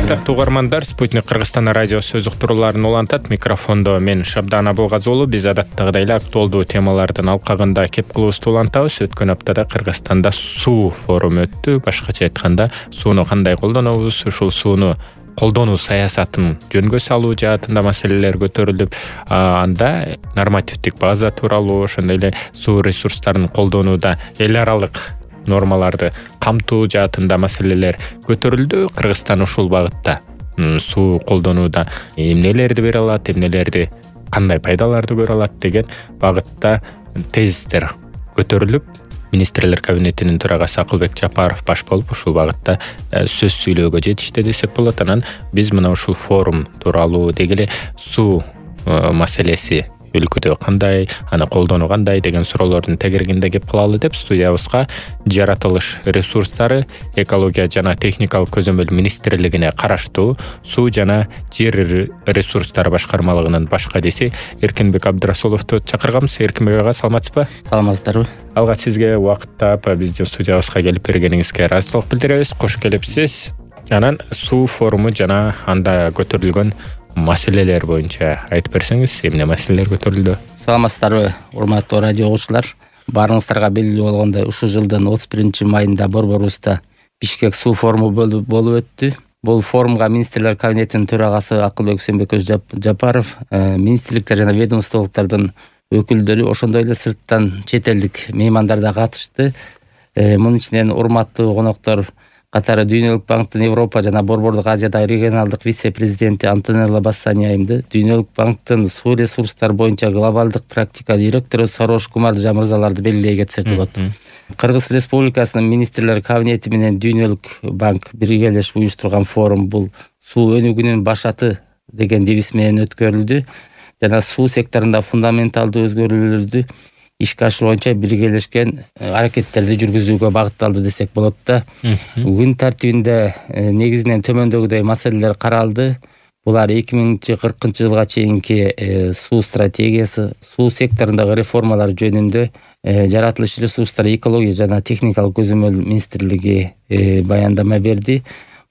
Кандактуу угармандар, Спутник Кыргызстан радиосу сөз уктурууларын улантат. Микрофондо мен Шабдан Абылгазы уулу. Биз адаттагыдай эле актуалдуу темалардын алкагында кеп кылуубузду улантабыз. Өткөн аптада Кыргызстанда суу форуму өттү. Башкача айтканда, сууну кандай колдонобуз, ушул сууну колдонуу саясатын жөнгө салуу жаатында маселелер көтөрүлүп, анда нормативдик база тууралуу, ошондой эле суу ресурстарын колдонууда эл аралык нормаларды камтуу жаатында маселелер көтөрүлдү. Кыргызстан ушул багытта суу колдонууда эмнелерди бере алат, эмнелерди кандай пайдаларды көрө алат деген багытта тезистер көтөрүлүп, министрлер кабинетинин төрагасы Акылбек Жапаров баш болуп ушул багытта сөз сүйлөөгө жетишти десек болот. Анан биз мына ушул форум тууралуу дегеле суу маселеси өлкөдө кандай, аны колдонуу кандай деген суроолордун тегерегинде кеп кылалы деп студиябызга жаратылыш ресурстары, экология жана техникалык көзөмөл министрлигине караштуу суу жана жер ресурстары башкармалыгынын баш кадиси Эркинбек Абдрасуловду чакырганбыз. Эркинбек ага, саламатсызбы? Саламатсыздарбы? Алгач сизге убакыт таап биздин студиябызга келип бергениңизге ыраазычылык билдиребиз. Кош келипсиз. Анан суу форуму жана анда көтөрүлгөн маселелер боюнча айтып берсеңиз, эмне маселелер көтөрүлдү? Саламатсыздарбы, урматтуу радио угуучулар? Баарыңыздарга белгилүү болгондой, ушул жылдын 31 майында борборубузда Бишкек суу форуму болуп өттү. Бул форумга министрлер кабинетинин төрагасы Акылбек Жапаров, министрликтер жана ведомстволуктардын өкүлдөрү, ошондой эле сырттан чет элдик меймандар да катышты. Мунун ичинен урматтуу коноктор катары Дүйнөлүк банктын Европа жана Борбордук Азиядагы регионалдык вице-президенти Антонелла Бассани айымды, Дүйнөлүк банктын суу ресурстары боюнча глобалдык практика директору Сарош Кумардыжа мырзаларды белгилей кетсек болот. Кыргыз Республикасынын министрлер кабинети менен Дүйнөлүк банк биргелешип уюштурган форум бул суу өнүгүүнүн башаты деген девиз менен өткөрүлдү жана суу секторунда фундаменталдуу өзгөрүүлөрдү ишке ашыруу боюнча биргелешкен аракеттерди жүргүзүүгө багытталды десек болот да. Күн тартибинде негизинен төмөндөгүдөй маселелер каралды. Булар 2040 жылга чейинки суу стратегиясы, суу секторундагы реформалар жөнүндө жаратылыш ресурстары, экология жана техникалык көзөмөл министрлиги баяндама берди.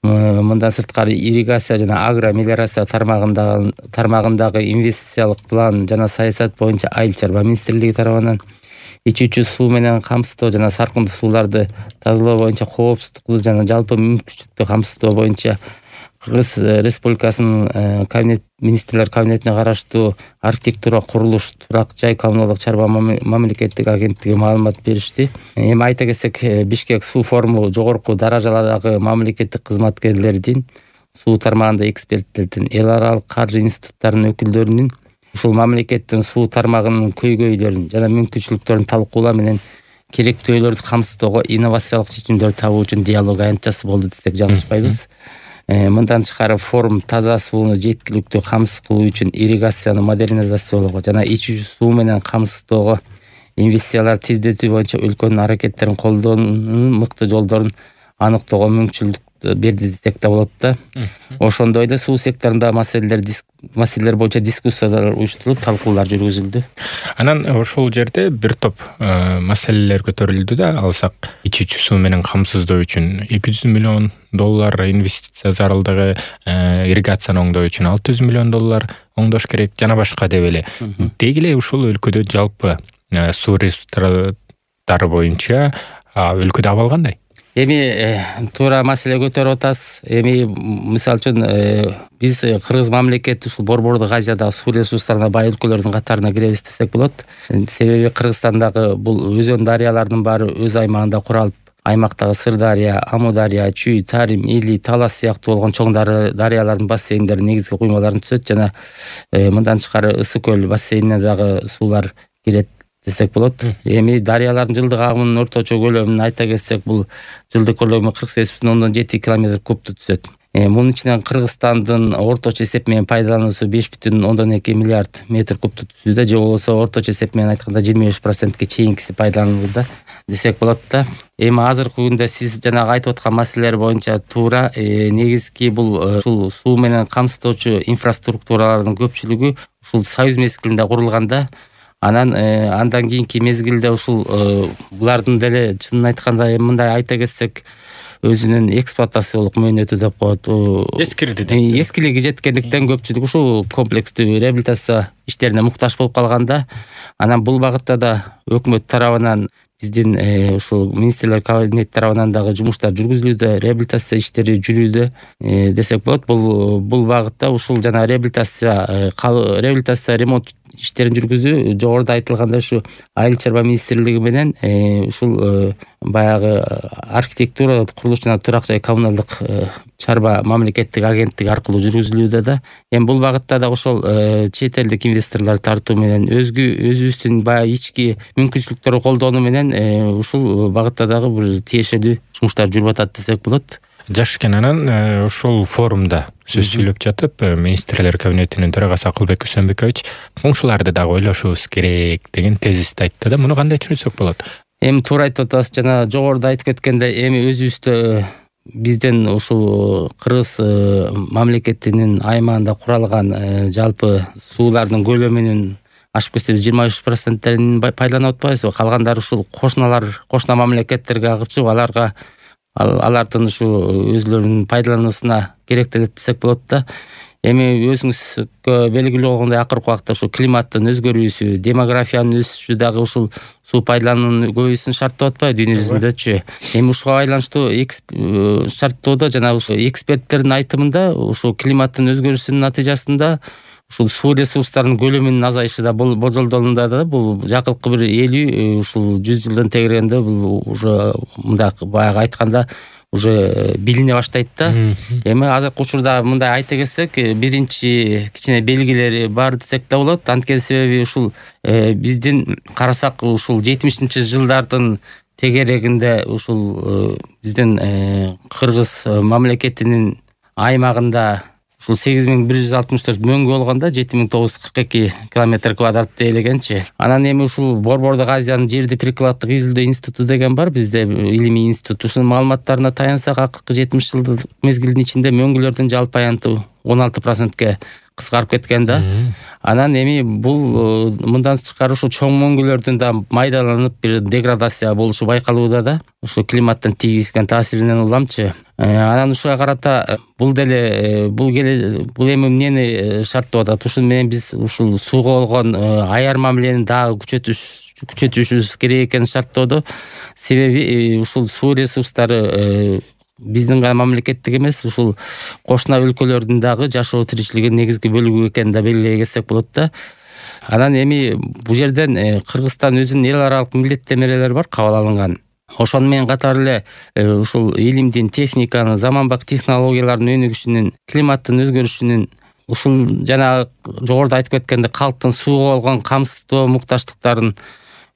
Мындан сырткары ирригация жана агромелиорация тармагындагы инвестициялык план жана саясат боюнча айыл чарба министрлиги тарабынан ичүүчү суу менен камсыздоо жана саркындуу сууларды тазалоо боюнча коопсуздукту жана жалпы мүмкүнчүлүктү камсыздоо боюнча Кыргыз Республикасынын министрлер кабинетине караштуу архитектура, курулуш, турак жай коммуналдык чарба мамлекеттик агенттиги маалымат беришти. Эми айта кетсек, Бишкек суу форуму жогорку даражаладагы мамлекеттик кызматкерлердин, суу тармагында эксперттердин, эл аралык каржы институттарынын өкүлдөрүнүн ушул мамлекеттин суу тармагынын көйгөйлөрүн жана мүмкүнчүлүктөрүн талкуулоо менен керектөөлөрдү камсыздоого инновациялык чечимдер табуу үчүн диалог аянтчасы болду десек жаңылышпайбыз. Мындан тышкары форум таза сууну жеткиликтүү камсыз кылуу үчүн ирригацияны модернизациялоого жана ичүүчү суу менен камсыздоого инвестициялар тездетүү боюнча өлкөнүн аракеттерин колдонуунун мыкты жолдорун аныктоого мүмкүнчүлүк берди десек да болот да. Ошондой эле суу секторунда маселелер боюнча дискуссиялар уюштурулуп, талкуулар жүргүзүлдү. Анан ошол жерде бир топ маселелер көтөрүлдү да. Алсак, ичүүчү суу менен камсыздоо үчүн $200 миллион инвестиция зарылдыгы, ирригацияны оңдоо үчүн $600 миллион оңдош керек жана башка деп эле. Деги эле ушул өлкөдө жалпы суу ресурстары боюнча өлкөдө абал кандай? Эми туура маселе көтөрүп атасыз. Эми мисалы үчүн биз Кыргыз мамлекети ушул Борбордук Азиядагы суу ресурстарына бай өлкөлөрдүн катарына киребиз десек болот. Себеби Кыргызстандагы бул өзөн дарыялардын баары өз аймагында куралып, аймактагы Сырдария, Амудария, Чүй, Тарим, Или, Талас сыяктуу болгон чоң дарыялардын бассейндери негизги куймаларын түзөт жана мындан тышкары Ысык көл бассейнине дагы суулар кирет десек болот. Эми дарыялардын жылдык агымынын орточо көлөмүн айта кетсек, бул жылдык көлөмү 48,7 км кубту түзөт. Мунун ичинен Кыргызстандын орточо эсеп менен пайдалануусу 5,2 миллиард метр кубту түзүүдө, же болбосо орточо эсеп менен айтканда 25%ке чейинкиси пайдаланууда десек болот да. Эми азыркы күндө сиз жанагы айтып аткан маселелер боюнча туура, негизги бул ушул суу менен камсыздоочу инфраструктуралардын көпчүлүгү ушул Союз мезгилинде курулганда, андан кийинки мезгилде ушул булардын деле чынын айтканда мындай айта кетсек, өзүнүн эксплуатациялык мөөнөтү деп коет. Эскилиги жеткендиктен көпчүлүк ушул комплекстүү реабилитация иштерине муктаж болуп калганда, анан бул багытта да өкмөт тарабынан биздин ушул министрлер кабинети тарабынан дагы жумуштар жүргүзүлүүдө, реабилитация иштери жүрүүдө десек болот. Бул багытта ушул жана реабилитация ремонт иштерин жүргүзүү жогоруда айтылгандай ушу айыл чарба министрлиги менен ушул баягы архитектура, курулуш жана турак жай коммуналдык чарба мамлекеттик агенттиги аркылуу жүргүзүлүүдө да. Эми бул багытта да ошол чет элдик инвесторлор тартуу менен өзүбүздүн баягы ички мүмкүнчүлүктөрдү колдонуу менен ушул багытта дагы бир тиешелүү жумуштар жүрүп атат десек болот. Жашкен анан ушул форумда сөз сүйлөп жатып, министрлер кабинетинин төрагасы Акылбек Үсөнбекович коңшуларды дагы ойлошубуз керек деген тезисти айтты да. Муну кандай түшүнсөк болот? Эми туура айтып атасыз. Жана жогоруда айтып кеткендей, эми өзүбүздө биздин ушул Кыргыз мамлекетинин аймагында куралган жалпы суулардын көлөмүнүн ашып кетсе 23%-ин пайдаланып атпайбызбы? Калгандары ушул кошуна мамлекеттерге агып чыгып, алардын ушу өзлөрүнүн пайдалануусуна керектелет десек болот да. Эми өзүңүзгө белгилүү болгондой, акыркы убакта ушу климаттын өзгөрүүсү, демографиянын өсүшү дагы ушул суу пайдалануунун көбөйүүсүн шарттап атпайбы дүйнө жүзүндөчү? Эми ушуга байланыштуу шарттоодо жана ушу эксперттердин айтымында ушу климаттын өзгөрүүсүнүн натыйжасында ушул суу ресурстарынын көлөмүнүн азайышы да болжолдонулда да. Бул жакынкы бир 50 ушул 100 жылдан тегерегенде бул уже мындай баягы айтканда уже билине баштайт да. Эми азыркы учурда мындай айта кетсек, биринчи кичине белгилери бар десек да болот. Анткени себеби ушул биздин карасак ушул 70-жылдардын тегерегинде ушул биздин Кыргыз мамлекетинин аймагында ушул 8164 мөңгү болгондо 7942 километр квадратээлегенчи. Анан эми ушул Борбордук Азиянын жерди прикладдык изилдөө институту деген бар бизде, илимий институт. Ушунун маалыматтарына таянсак, акыркы 70 жылдык мезгилдин ичинде мөңгүлөрдүн жалпы аянты 16%ге кыскарып кеткен да. Анан эми бул мындан тышкары ушул чоң мөңгүлөрдүн да майдаланып бир деградация болушу байкалууда да. Ушу климаттын тийгизген таасиринен уламчы. Анан ушуга карата бул эми эмнени шарттап атат? Ушун менен биз ушул сууга болгон аяр мамилени дагы күчөтүшүбүз керек экенин шарттоодо. Себеби ушул суу ресурстары биздин гана мамлекеттик эмес, ушул кошуна өлкөлөрдүн дагы жашоо тиричилигинин негизги бөлүгү экенин да белгилей кетсек болот да. Анан эми бул жерден Кыргызстан өзүнүн эл аралык милдеттенмелери бар, кабыл алынган. Ошону менен катар эле ушул илимдин, техниканын, заманбап технологиялардын өнүгүшүнүн, климаттын өзгөрүшүнүн, ушул жана жогоруда айтып кеткендей калктын сууга болгон камсыздоо муктаждыктарын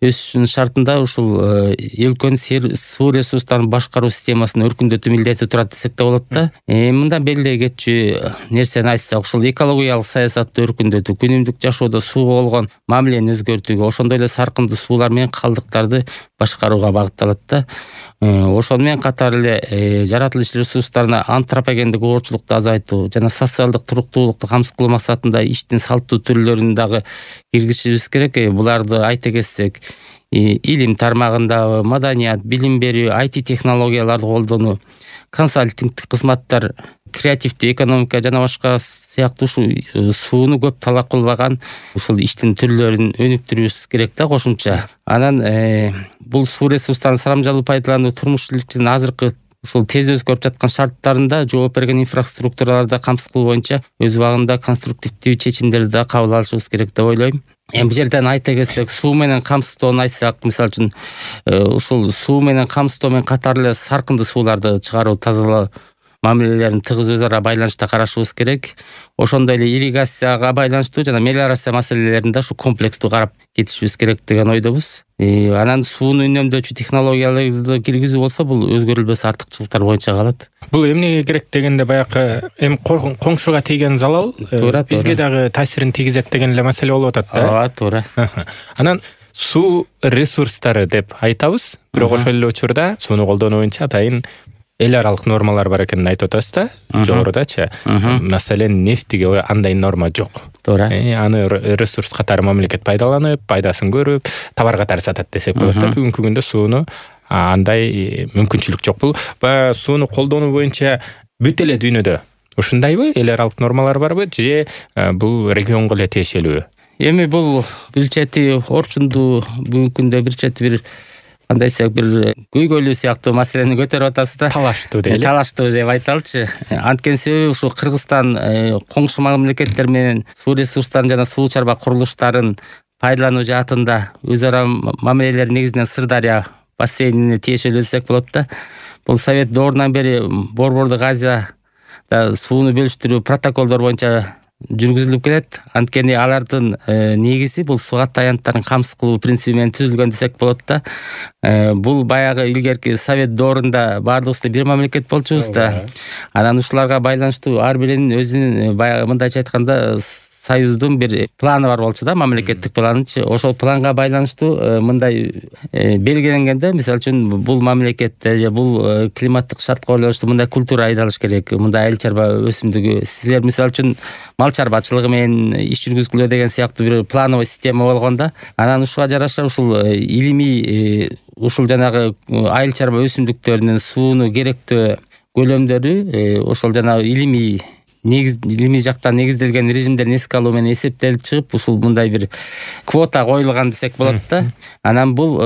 өсүшүнүн шартында ушул өлкөнүн суу ресурстарын башкаруу системасын өркүндөтүү милдети турат десек да болот да. Мындан белгилей кетчү нерсени айтсак, ушул экологиялык саясатты өркүндөтүү, күнүмдүк жашоодо сууга болгон мамилени өзгөртүүгө, ошондой эле саркындуу суулар менен калдыктарды башкарууга багытталат да. Ошону менен катар эле жаратылыш ресурстарына антропогендик оорчулукту азайтуу жана социалдык туруктуулукту камсыз кылуу максатында иштин салттуу түрлөрүн дагы киргизишибиз керек. Буларды айта кетсек, илим тармагында маданият, билим берүү, IT технологияларды колдонуу, консалтингдик кызматтар, креативдүү экономика жана башка сыяктуу ушул сууну көп талап кылбаган ушул иштин түрлөрүн өнүктүрүбүз керек да кошумча. Анан бул суу ресурстарын саламжалуу пайдалануу турмуш тиричилигинин азыркы ушул тез өзгөрүп жаткан шарттарында жооп берген инфраструктураларды камсыз кылуу боюнча өз убагында конструктивдүү чечимдерди да кабыл алышыбыз керек деп ойлойм. Эми бул жерден айта кетсек, суу менен камсыздоону айтсак, мисалы үчүн ушул суу менен камсыздоо менен катар эле саркындуу сууларды чыгаруу, тазалоо мамилелерин тыгыз өз ара байланышта карашыбыз керек. Ошондой эле ирригацияга байланыштуу жана мелиорация маселелерин да ушу комплекстүү карап кетишибиз керек деген ойдобуз. Анан сууну үнөмдөөчү технологияларды киргизүү болсо, бул өзгөрүлбөс артыкчылыктар боюнча калат. Бул эмнеге керек дегенде баягы эми коңшуга тийген залал бизге дагы таасирин тийгизет деген эле маселе болуп атат да. Ооба, туура. Анан суу ресурстары деп айтабыз, бирок ошол эле учурда сууну колдонуу боюнча атайын эл аралык нормалар бар экенин айтып атасыз да, жогорудачы. Маселен, нефтиге андай норма жок. Туура. Аны ресурс катары мамлекет пайдаланып, пайдасын көрүп, товар катары сатат десек болот да. Бүгүнкү күндө сууну андай мүмкүнчүлүк жок. Бул баягы сууну колдонуу боюнча бүт эле дүйнөдө ушундайбы? Эл аралык нормалар барбы же бул регионго эле тиешелүү? Эми бул бир чети орчундуу бүгүнкү күндө бир чети бир кандай десек бир көйгөйлүү сыяктуу маселени көтөрүп атасыз да. Талаштуу дейли. Талаштуу деп айталычы. Анткени себеби ушул Кыргызстан коңшу мамлекеттер менен суу ресурстарын жана суу чарба курулуштарын пайдалануу жаатында өз ара мамилелер негизинен Сырдарья бассейнине тиешелүү десек болот да. Бул Совет доорунан бери Борбордук Азияда сууну бөлүштүрүү протоколдор боюнча жүргүзүлүп келет. Анткени алардын негизи бул сугат аянттарын камсыз кылуу принциби менен түзүлгөн десек болот да. Бул баягы илгерки Совет доорунда баардыгыбыз бир мамлекет болчубуз да. Анан ушуларга байланыштуу ар биринин өзүнүн баягы мындайча айтканда союздун бир планы бар болчу да, мамлекеттик планычы. Ошол планга байланыштуу мындай белгиленгенде, мисалы үчүн бул мамлекетте же бул климаттык шартка байланыштуу мындай культура айдалыш керек, мындай айыл чарба өсүмдүгү, силер мисалы үчүн мал чарбачылыгы менен иш жүргүзгүлө деген сыяктуу бир плановый система болгондо, анан ушуга жараша ушул илимий ушул жанагы айыл чарба өсүмдүктөрүнүн сууну керектөө көлөмдөрү ошол жанагы илимий жактан негизделген режимдерин эске алуу менен эсептелип чыгып, ушул мындай бир квота коюлган десек болот да. Анан бул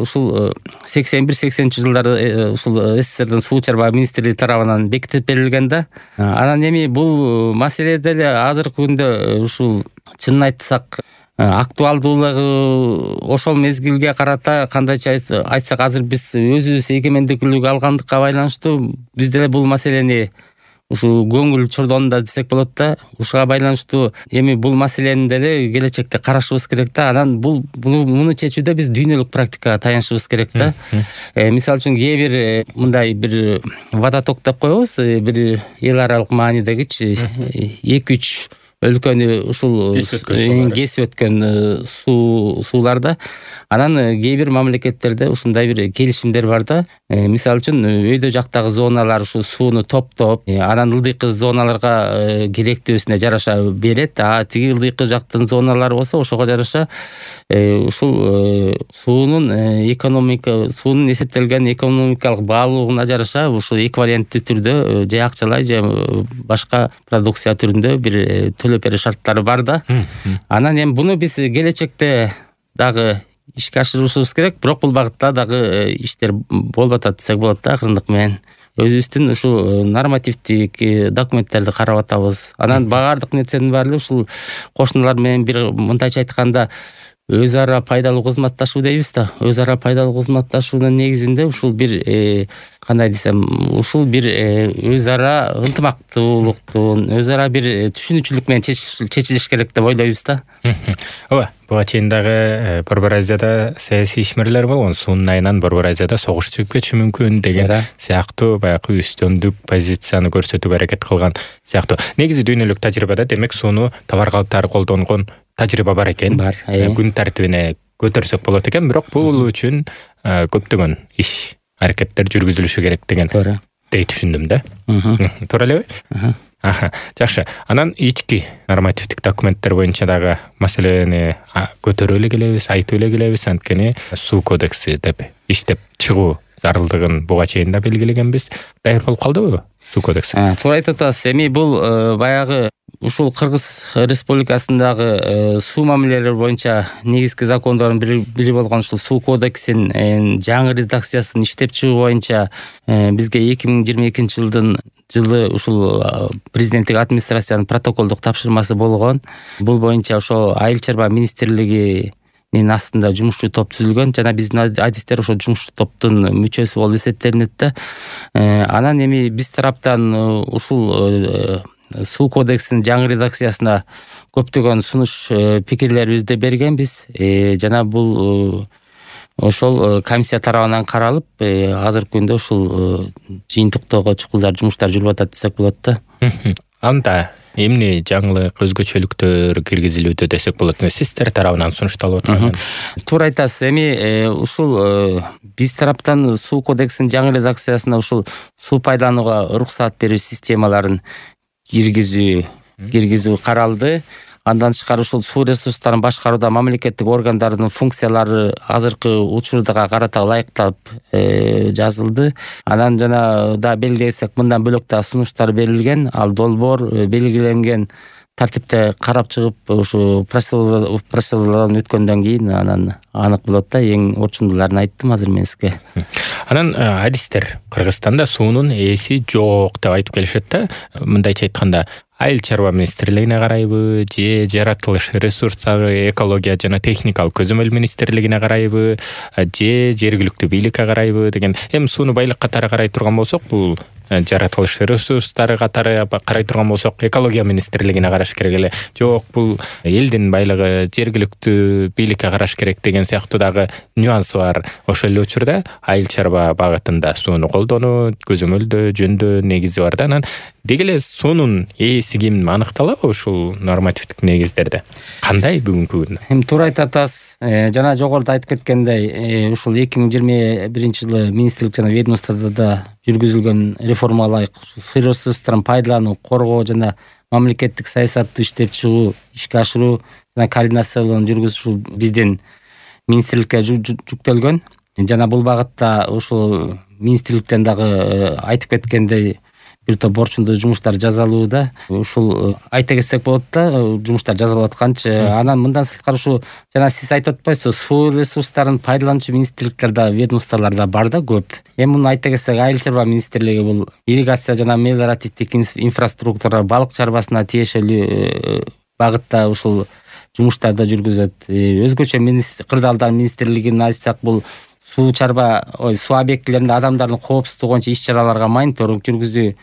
ушул 81-80 жылдары ушул СССРдин суу чарба министрлиги тарабынан бекитип берилген да. Анан эми бул маселе деле азыркы күндө ушул чынын айтсак актуалдуулугу ошол мезгилге карата кандайча айтсак азыр биз өзүбүз эгемендүүлүк алгандыкка байланыштуу биз деле бул маселени ушул көңүл чордонунда десек болот да. Ушуга байланыштуу эми бул маселени деле келечекте карашыбыз керек да. Анан муну чечүүдө биз дүйнөлүк практикага таянышыбыз керек да. Мисалы үчүн кээ бир мындай бир водоток деп коебуз, бир эл аралык маанидегичи 2-3 өлкөнү ушул кесип өткөн сууларда. Анан кээ бир мамлекеттерде ушундай бир келишимдер бар да. Мисалы үчүн өйдө жактагы зоналар ушул сууну топтоп, анан ылдыйкы зоналарга керектүүсүнө жараша берет. Тиги ылдыйкы жактын зоналары болсо ошого жараша ушул суунун эсептелген экономикалык баалуулугуна жараша ушул эквиваленттүү түрдө же акчалай же башка продукция түрүндө бир төлөп берүү шарттары бар да. Анан эми буну биз келечекте дагы ишке ашырышыбыз керек, бирок бул багытта дагы иштер болуп атат десек болот да, акырындык менен. Өзүбүздүн ушул нормативдик документтерди карап атабыз. Анан баардык нерсенин баары ушул кошуналар менен бир мындайча айтканда өз ара пайдалуу кызматташуу дейбиз да. Өз ара пайдалуу кызматташуунун негизинде ушул бир кандай десем, ушул бир өз ара ынтымактуулуктун, өз ара бир түшүнүүчүлүк менен чечилиш керек деп ойлойбуз да. Ооба, буга чейин дагы Борбор Азияда саясий ишмерлер болгон, суунун айынан Борбор Азияда согуш чыгып кетиши мүмкүн деген сыяктуу баягы үстөмдүк позицияны көрсөтүүгө аракет кылган сыяктуу. Негизи дүйнөлүк тажрыйбада демек сууну товар катары колдонгон тажрыйба бар экен. Күн тартибине көтөрсөк болот экен, бирок бул үчүн көптөгөн иш аракеттер жүргүзүлүшү керек деген дей түшүндүм да. Туура элеби? Жакшы. Анан ички нормативдик документтер боюнча дагы маселени көтөрүп эле келебиз, айтып эле келебиз. Анткени суу кодекси деп иштеп чыгуу зарылдыгын буга чейин да белгилегенбиз. Даяр болуп калдыбы суу кодекси? Туура айтып атасыз. Эми бул баягы ушул Кыргыз Республикасындагы суу мамилелери боюнча негизги закондордун бири болгон ушул суу кодексин жаңы редакциясын иштеп чыгуу боюнча бизге 2022 жылы ушул президенттик администрациянын протоколдук тапшырмасы болгон. Бул боюнча ошо айыл чарба министрлигинин астында жумушчу топ түзүлгөн жана биздин адистер ошо жумушчу топтун мүчөсү болуп эсептелинет да. Анан эми биз тараптан ушул суу кодексинин жаңы редакциясына көптөгөн сунуш пикирлерибизди бергенбиз. Жана бул ошол комиссия тарабынан каралып, азыркы күндө ушул жыйынтыктоого чукулдар жумуштар жүрүп атат десек болот да. Анда эмне жаңылык, өзгөчөлүктөр киргизилүүдө десек болот, сиздер тарабынан сунушталып атат? Туура айтасыз. Эми ушул биз тараптан суу кодексинин жаңы редакциясына ушул суу пайдаланууга уруксаат берүү системаларын киргизүү каралды. Андан тышкары ушул суу ресурстарын башкарууда мамлекеттик органдардын функциялары азыркы учурдага карата ылайыктап жазылды. Анан жана да белгилесек, мындан бөлөк да сунуштар берилген. Ал долбоор белгиленген тартипте карап чыгып, ушу процедуралардан өткөндөн кийин анан анык болот да. Эң орчундууларын айттым азыр мен сизге. Анан адистер Кыргызстанда суунун ээси жок деп айтып келишет да. Мындайча айтканда, Айыл чарба министрлигине карайбы, же жаратылыш ресурстары, экология жана техникалык көзөмөл министрлигине карайбы, же жергиликтүү бийликке карайбы деген. Эми сууну байлык катары карай турган болсок, бул жаратылыш ресурстары катары карай турган болсок, экология министрлигине караш керек эле. Жок, бул элдин байлыгы, жергиликтүү бийликке караш керек деген сыяктуу дагы нюансы бар. Ошол эле учурда айыл чарба багытында сууну колдонуу, көзөмөлдөө, жөндөө негизи бар да. Анан деги эле суунун ээси ким аныкталабы ушул нормативдик негиздерде? Кандай бүгүнкү күндө? Эми туура айтып атасыз. Жана жогоруда айтып кеткендей, ушул 2021-жылы министрлик жана ведомствода жүргүзүлгөн реформага ылайык суу ресурстарын пайдалануу, коргоо жана мамлекеттик саясатты иштеп чыгуу, ишке ашыруу жана координациялоону жүргүзүү биздин министрликке жүктөлгөн. Жана бул багытта ушул министрликтен дагы айтып кеткендей бир топ борчундуу жумуштар жасалууда. Ушул айта кетсек болот да, жумуштар жасалып атканчы. Анан мындан сырткары ушул жана сиз айтып атпайсызбы, суу ресурстарын пайдалануучу министрликтерде, ведомстволордо бар да көп. Эми муну айта кетсек, айыл чарба министрлиги бул ирригация жана мелиоративдик инфраструктура, балык чарбасына тиешелүү багытта ушул жумуштарды жүргүзөт. Өзгөчө кырдаалдар министрлигин айтсак, бул суу объектилеринде адамдардын коопсуздугу боюнча иш-чараларга мониторинг жүргүзүү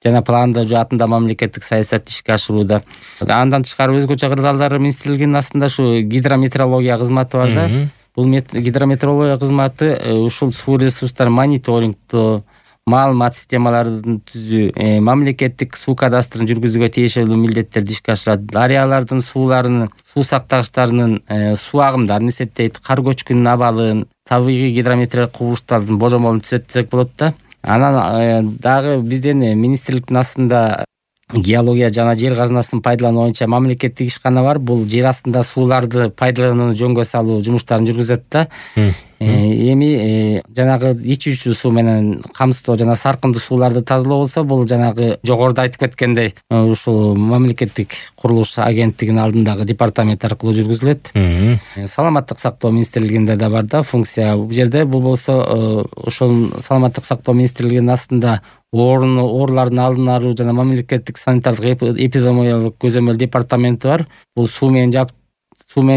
жана пландоо жаатында мамлекеттик саясатты ишке ашырууда. Андан тышкары өзгөчө кырдаалдар министрлигинин астында ушу гидрометеорология кызматы бар да. Бул гидрометеорология кызматы ушул суу ресурстарын мониторингдоо, маалымат системаларын түзүү, мамлекеттик суу кадастрын жүргүзүүгө тиешелүү милдеттерди ишке ашырат. Дарыялардын сууларынын, суу сактагычтарынын суу агымдарын эсептейт, кар көчкүнүнүн абалын, табигый гидрометеорологиялык кубулуштардын божомолун түзөт десек болот да. Анан дагы биздин министрликтин астында геология жана жер казынасын пайдалануу боюнча мамлекеттик ишкана бар. Бул жер астында сууларды пайдаланууну жөнгө салуу жумуштарын жүргүзөт да. Эми жанагы ичүүчү суу менен камсыздоо жана саркындуу сууларды тазалоо болсо, бул жанагы жогоруда айтып кеткендей ушул мамлекеттик курулуш агенттигинин алдындагы департамент аркылуу жүргүзүлөт. Саламаттык сактоо министрлигинде да бар да функция бул жерде. Бул болсо ошол саламаттык сактоо министрлигинин астында оорулардын алдын алуу жана мамлекеттик санитардык эпидемиологиялык көзөмөл департаменти бар. Бул суу менен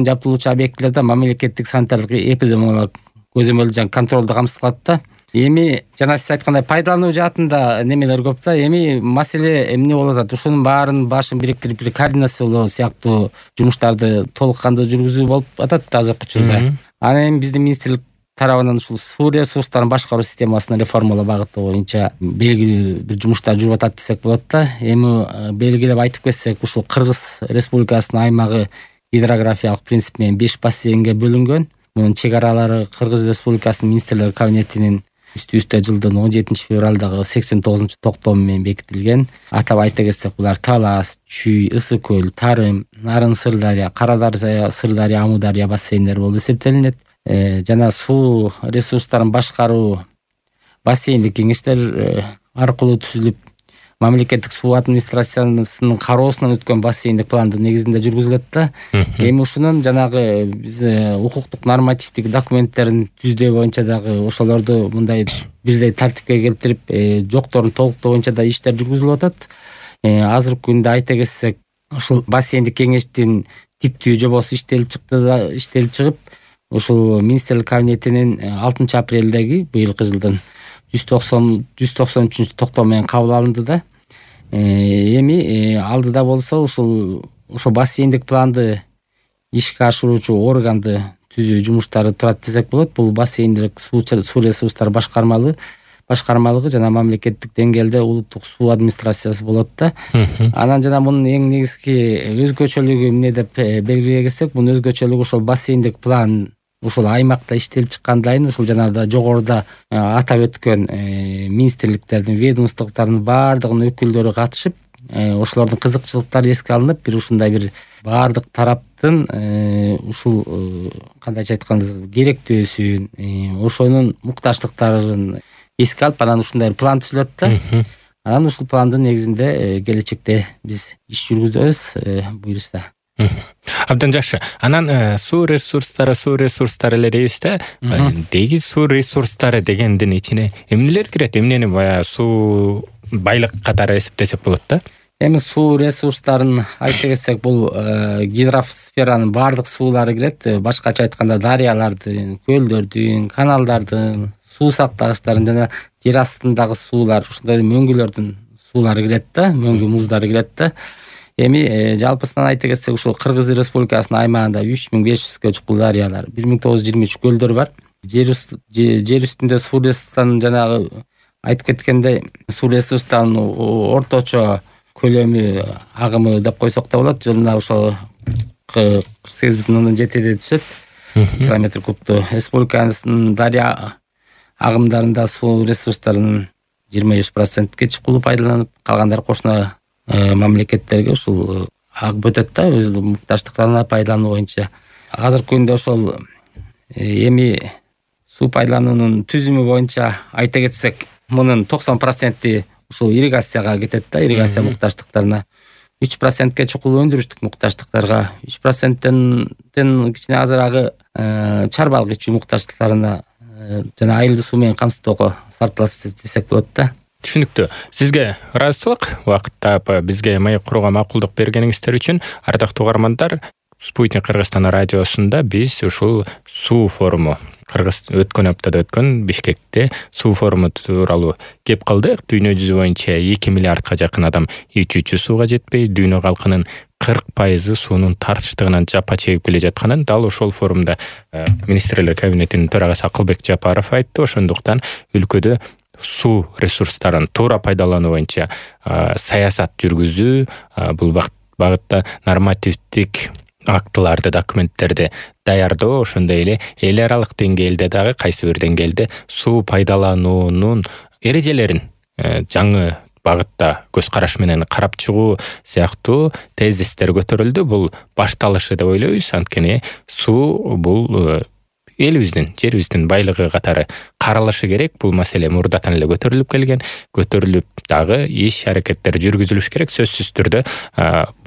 жабдылуучу объектилерде мамлекеттик санитардык эпидемиологиялык көзөмөл жана контролду камсыз кылат да. Эми жана сиз айткандай пайдалануу жаатында немелер көп да. Эми маселе эмне болуп атат? Ушунун баарын башын бириктирип бир координациялоо сыяктуу жумуштарды толук кандуу жүргүзүү болуп атат азыркы учурда. Анан эми биздин министрлик тарабынан ушул суу ресурстарын башкаруу системасын реформалоо багыты боюнча белгилүү бир жумуштар жүрүп атат десек болот да. Эми белгилеп айтып кетсек, ушул Кыргыз Республикасынын аймагы гидрографиялык принцип менен 5 бассейнге бөлүнгөн. Мунун чек аралары Кыргыз Республикасынын министрлер кабинетинин үстү жылдын 17-февралдагы 89-токтому менен бекитилген. Атап айта кетсек, булар Талас, Чүй, Ысык көл, Тарым, Нарын Сырдария, Карадария, Сырдария, Амудария бассейндери болуп эсептелинет. Жана суу ресурстарын башкаруу бассейндик кеңештер аркылуу түзүлүп, мамлекеттик суу администрациясынын кароосунан өткөн бассейндик пландын негизинде жүргүзүлөт да. Эми ушунун жанагы биз укуктук нормативдик документтерин түздөө боюнча дагы ошолорду мындай бирдей тартипке келтирип, жокторун толуктоо боюнча да иштер жүргүзүлүп атат. Азыркы күндө айта кетсек, ушул бассейндик кеңештин типтүү жобосу иштелип чыгып, ушул министрлик кабинетинин 6-апрелдеги быйылкы жылдын 193-токтому менен кабыл алынды да. Эми алдыда болсо ошо бассейндик планды ишке ашыруучу органды түзүү жумуштары турат десек болот. Бул бассейндик суу ресурстары башкармалыгы жана мамлекеттик деңгээлде улуттук суу администрациясы болот да. Анан жана мунун эң негизги өзгөчөлүгү эмне деп белгилей кетсек, мунун өзгөчөлүгү ошол бассейндик план ушул аймакта иштелип чыккандайын, ушул жанагы жогоруда атап өткөн министрликтердин, ведомстволордун баардыгынын өкүлдөрү катышып, ошолордун кызыкчылыктары эске алынып, бир ушундай бир баардык тараптын ушул кандайча айтканда керектөөсүн, ошонун муктаждыктарын эске алып, анан ушундай бир план түзүлөт да. Анан ушул пландын негизинде келечекте биз иш жүргүзөбүз, буюрса. Абдан жакшы. Анан суу ресурстары эле дейбиз да. Деги суу ресурстары дегендин ичине эмнелер кирет? Эмнени баягы суу байлык катары эсептесек болот да? Эми суу ресурстарын айта кетсек, бул гидросферанын баардык суулары кирет. Башкача айтканда дарыялардын, көлдөрдүн, каналдардын, суу сактагычтардын жана жер астындагы суулар, ушундай мөңгүлөрдүн суулары кирет да, мөңгү муздары кирет да. Эми жалпысынан айта кетсек, ушул Кыргыз Республикасынын аймагында 3500гө чукул дарыялар, 1923 көлдөр бар. Жер үстүндө суу ресурстарынын жанагы айтып кеткендей, суу ресурстарынын орточо көлөмү, агымы деп койсок да болот. Жылына ошо 48,7 түшөт километр кубту. Республиканын дарыя агымдарында суу ресурстарынын 25%ке чукулу пайдаланып, калгандары кошуна мамлекеттерге ушул агып өтөт да, өз муктаждыктарына пайдалануу боюнча. Азыркы күндө ошол эми суу пайдалануунун түзүмү боюнча айта кетсек, мунун 90% ушул ирригацияга кетет да, ирригация муктаждыктарына. 3%ке чукул өндүрүштүк муктаждыктарга, 3%тен кичине азырагы чарбалык ичүү муктаждыктарына жана айылды суу менен камсыздоого сарпталат десек болот да. Түшүнүктүү. Сизге ыраазычылык, убакыт таап бизге маек курууга макулдук бергениңиздер үчүн. Ардактуу угармандар, Спутник Кыргызстан радиосунда биз ушул суу форуму, өткөн аптада өткөн Бишкекте суу форуму тууралуу кеп калдык. Дүйнө жүзү боюнча 2 миллиардка жакын адам ичүүчү сууга жетпей, дүйнө калкынын 40% суунун тартычтыгынан жапа чегип келе жатканын дал ошол форумда министрлер кабинетинин төрагасы Акылбек Жапаров айтты. Ошондуктан өлкөдө суу ресурстарын туура пайдалануу боюнча саясат жүргүзүү, бул багытта нормативдик актыларды, документтерди даярдоо, ошондой эле эл аралык деңгээлде дагы кайсы бир деңгээлде суу пайдалануунун эрежелерин жаңы багытта көз караш менен карап чыгуу сыяктуу тезистер көтөрүлдү. Бул башталышы деп ойлойбуз. Анткени суу бул элибиздин, жерибиздин байлыгы катары каралышы керек. Бул маселе мурдатан эле көтөрүлүп дагы иш аракеттер жүргүзүлүш керек. Сөзсүз түрдө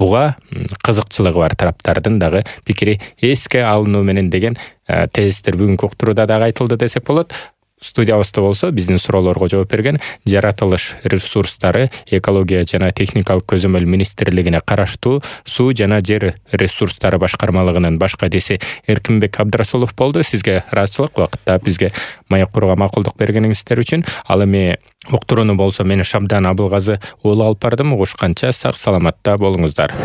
буга кызыкчылыгы бар тараптардын дагы пикири эске алынуу менен деген тезистер бүгүнкү уктурууда дагы айтылды десек болот. Студиябызда болсо биздин суроолорго жооп берген жаратылыш ресурстары, экология жана техникалык көзөмөл министрлигине караштуу суу жана жер ресурстары башкармалыгынын баш кадиси Эркинбек Абдрасулов болду. Сизге ыраазычылык, убакытта бизге маек курууга макулдук бергениңиздер үчүн. Ал эми уктурууну болсо мен Шабдан Абылгазы уулу алып бардым. Угушканча сак саламатта болуңуздар.